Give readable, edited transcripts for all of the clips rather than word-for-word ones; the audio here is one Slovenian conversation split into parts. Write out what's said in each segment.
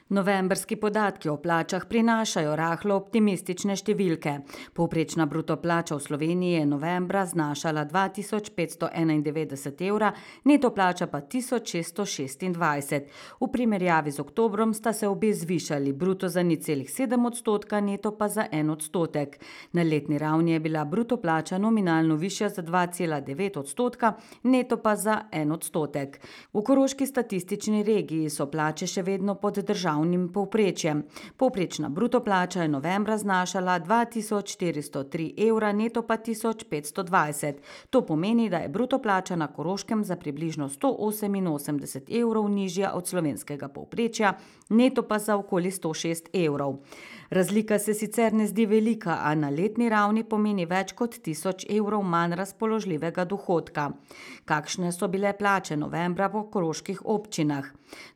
Novembrski podatki o plačah prinašajo rahlo optimistične številke. Povprečna bruto plača v Sloveniji je novembra znašala 2591 evra, neto plača pa 1626. V primerjavi z oktobrom sta se obe zvišali, bruto za 0,7%, neto pa za 1%. Na letni ravni je bila bruto plača nominalno višja za 2,9%, neto pa za 1%. V koroški statistični regiji so plače še vedno pod državnim povprečjem. Povprečna bruto plača je novembra znašala 2403 evra, neto pa 1520. To pomeni, da je bruto plača na Koroškem za približno 188 evrov nižja od slovenskega povprečja, neto pa za okoli 106 evrov. Razlika se sicer ne zdi velika, a na letni ravni pomeni več kot 1000 evrov manj razpoložljivega dohodka. Kakšne so bile plače novembra po koroških občinah?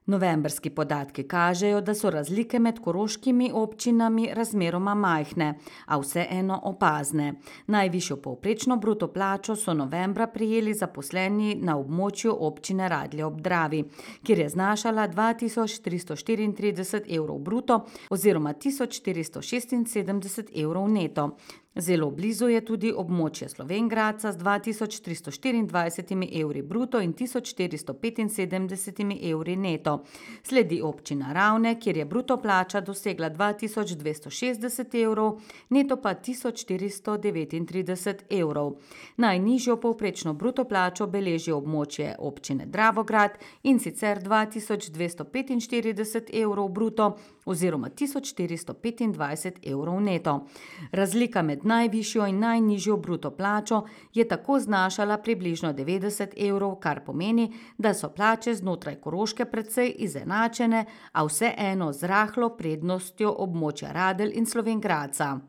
Novembrski podatki kažejo, da so razlike med koroškimi občinami razmeroma majhne, a vseeno opazne. Najvišjo povprečno bruto plačo so novembra prejeli zaposleni na območju občine Radlje ob Dravi, kjer je znašala 2334 evrov bruto oziroma 1476 evrov neto. Zelo blizu je tudi območje Slovenj Gradca z 2324 evri bruto in 1475 evri neto. Sledi občina Ravne, kjer je bruto plača dosegla 2260 evrov, neto pa 1439 evrov. Najnižjo povprečno bruto plačo beleži območje občine Dravograd, in sicer 2245 evrov bruto oziroma 1425 evrov neto. Razlika med najvišjo in najnižjo bruto plačo je tako znašala približno 90 evrov, kar pomeni, da so plače znotraj Koroške precej izenačene, a vseeno z rahlo prednostjo območja Radelj in Slovenj Gradca.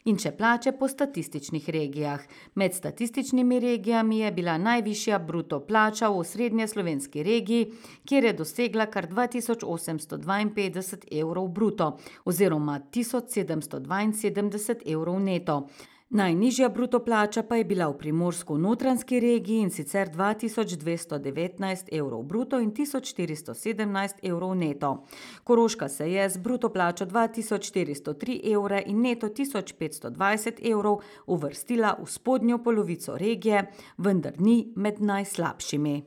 In še plače po statističnih regijah. Med statističnimi regijami je bila najvišja bruto plača v osrednjeslovenski regiji, kjer je dosegla kar 2852 evrov bruto oziroma 1772 evrov neto. Najnižja bruto plača pa je bila v primorsko-notranjski regiji, in sicer 2219 evrov bruto in 1417 evrov neto. Koroška se je z bruto plačo 2403 evre in neto 1520 evrov uvrstila v spodnjo polovico regije, vendar ni med najslabšimi.